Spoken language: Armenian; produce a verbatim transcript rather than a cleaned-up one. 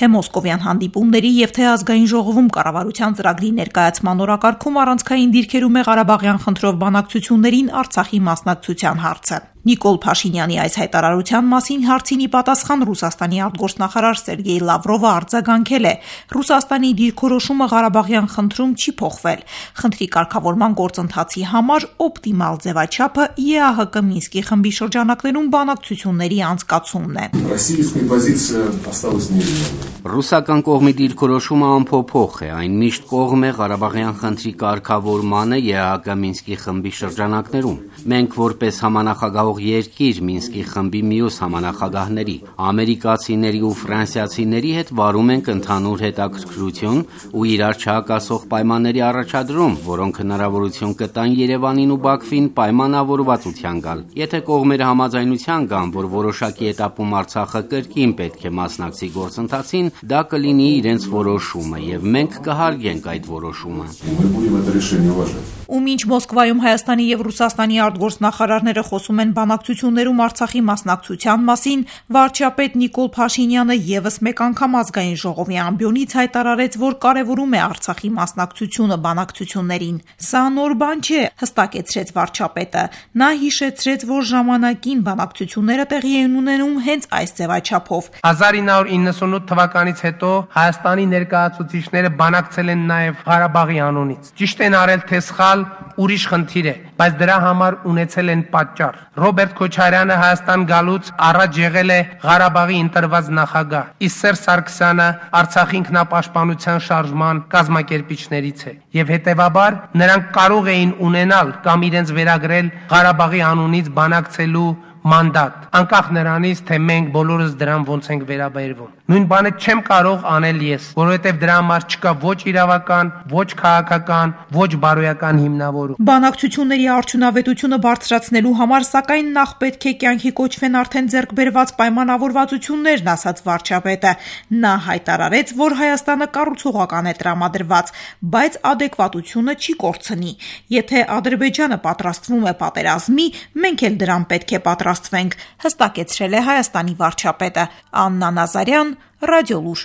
Թե մոսկովյան հանդիպումների եւ թե ազգային ժողովում կառավարության ծրագրի ներկայացման օրակարգում առանցքային դիրքերում է Ղարաբաղյան խնդրով բանակցություններին Արցախի մասնակցության հարցը։ Նիկոլ Փաշինյանի այս հայտարարության մասին հարցին ի պատասխան Ռուսաստանի արտգործնախարար Սերգեյ Լավրովը արձագանքել է. Ռուսաստանի դիրքորոշումը Ղարաբաղյան խնդրում չի փոխվել։ Խնդրի կարգավորման գործընթացի համար օպտիմալ ձևաչափը ԵԱՀԿ Մինսկի խմբի շրջանակներում բանակցությունների անցկացումն է։ Ռուսական կողմի դիրքորոշումը անփոփոխ է, այն միշտ կողմ է Ղարաբաղյան խնդրի կարգավորմանը ԵԱՀԿ Մինսկի խմբի շրջանակներում։ Մենք որպես համանախագահող երկիր Մինսկի խմբի մյուս համանախագահների, ամերիկացիների ու ֆրանսիացիների հետ վարում ենք ընդհանուր հետաքրքրություն ու իրար չհակասող պայմանների առաջադրում, որոնք հնարավորություն կտան Երևանին ու Բաքվին պայմանավորվածության գալ։ Եթե կողմերը համաձայնության գան, որ որոշակի էտապում Արցախը կրկին պետք է մասնակցի գործընթացին, դա կլինի իրենց որոշումը, եւ մենք կհարգենք այդ որոշումը։ Ու մինչ Մոսկվայում Հայաստանի եւ Ռուսաստանի արտգործնախարարները խոսում են բանակցություններում Արցախի մասնակցության մասին, վարչապետ Նիկոլ Փաշինյանը եւս մեկ անգամ ազգային ժողովի ամբիոնից հայտարարեց, որ կարեւորում է Արցախի մասնակցությունը բանակցություններին։ Սա նոր բան չէ, հստակեցրեց վարչապետը։ Նա հիշեցրեց, որ ժամանակին բանակցությունները տեղի են ունենում հենց այս ձևաչափով։ հազար ինը հարյուր իննսունութ թվականից հետո Հայաստանի ներկայացուցիչները բանակցել են նաեւ Ղարաբաղի անունից։ Ճիշտ են արել թե սխալ, ուրիշ խնդիր է, բայց դրա համար ունեցել են պատճառ։ Ռոբերտ Քոչարյանը Հայաստան գալուց առաջ եղել է Ղարաբաղի ընտրված նախագահ, իսկ Սերժ Սարգսյանը Արցախի ինքնապաշտպանության շարժման կազմակերպիչներից է, եւ հետեւաբար նրանք կարող էին ունենալ կամ իրենց վերագրել Ղարաբաղի անունից բանակցելու մանդատ, անկախ նրանից, թե մենք բոլորս դրան ոնց ենք վերաբերվում։ Նույն բանը չեմ կարող անել ես, որովհետև դրա համար չկա ոչ իրավական, ոչ քաղաքական, ոչ բարոյական հիմնավորում։ Բանակցությունների արդյունավետությունը բարձրացնելու համար, սակայն, նախ պետք է կյանքի կոչվեն արդեն ձեռք բերված պայմանավորվածություններն, ասաց վարչապետը։ Նա հայտարարեց, որ Հայաստանը կառուցողական է տրամադրված, բայց ադեկվատությունը չի կորցնի։ Եթե Ադրբեջանը պատրաստվում է պատերազմի, մենք էլ դրան պետք է պատրաստվենք, հստակեցրել է Հայաստանի վարչապետը։ Աննա Նազարյան, Ռադիոլուր։